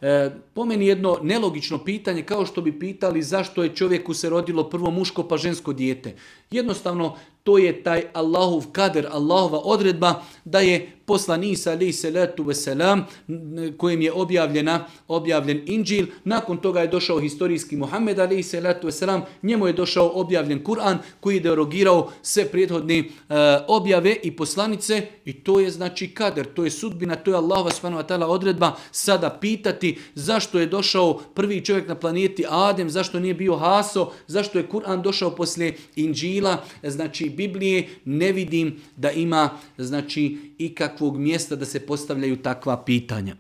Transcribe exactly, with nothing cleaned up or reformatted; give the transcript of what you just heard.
E, po meni jedno nelogično pitanje, kao što bi pitali zašto je čovjeku se rodilo prvo muško pa žensko dijete. Jednostavno, to je taj Allahov kader, Allahova odredba da je poslan Isa alejhi salatu vesselam kojim je objavljena, objavljen Inđil. Nakon toga je došao historijski Muhammed alejhi salatu vesselam, njemu je došao objavljen Kur'an koji je derogirao sve prethodne uh, objave i poslanice i to je znači kader, to je sudbina, to je Allahova subhanahu wa ta'ala odredba. Sada pitati zašto je došao prvi čovjek na planeti Adem, zašto nije bio Haso, zašto je Kur'an došao poslije Inđila, znači Biblije, ne vidim da ima znači ikakvog mjesta da se postavljaju takva pitanja.